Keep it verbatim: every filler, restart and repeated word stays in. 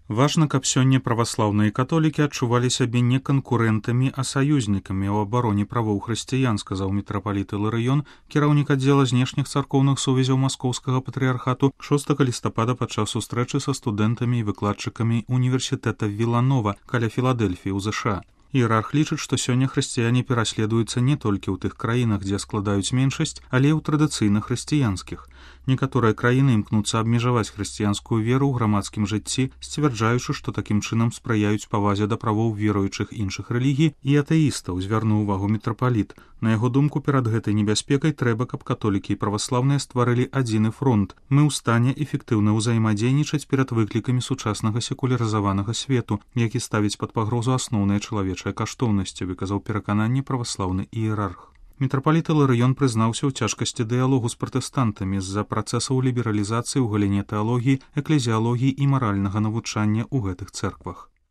Важна, каб сёння праваслаўныя католікі адчувалі сябе не канкурэнтамі, а саюзнікамі ў абароне правоў хрысціян, сказаў мітрапаліт Іларыён, кіраўнік аддзела знешніх царкоўных сувязяў маскоўскага патрыярхату шостага лістапада падчас сустрэчы са студэнтамі і выкладчыкамі універсітэта Віланова каля Філадэльфіі ў ЗША. Іерарх лічыць, што сёння хрысціяне пераследуюцца не толькі ў тых краінах, дзе складаюць меншасць, але і ў традыцыйна хрысціянскіх. Некаторыя краіны імкнуцца абмежаваць хрысціянскую веру ў грамадскім жыцці, сцвярджаючы, што такім чынам спрыяюць павазе да правоў веруючых іншых рэлігій і атэістаў, звярнуў увагу мітрапаліт. На яго думку, перад гэтай небяспекай трэба, каб католікі і праваслаўныя стварылі адзіны фронт. Мы ў стане эфектыўна ўзаемадзейнічаць перад выклікамі сучаснага секулярызаванага свету, які ставіць пад пагрозу асноўныя чалавечыя каштоўнасці, выказаў перакананне праваслаўны іерарх. Мітрапаліт Іларыён прызнаўся ў цяжкасці дыялогу з пратэстантамі з-за працэсаў лібералізацыі ў галіне тэалогіі, эклезіялогіі і маральнага навучання ў гэтых цэрквах.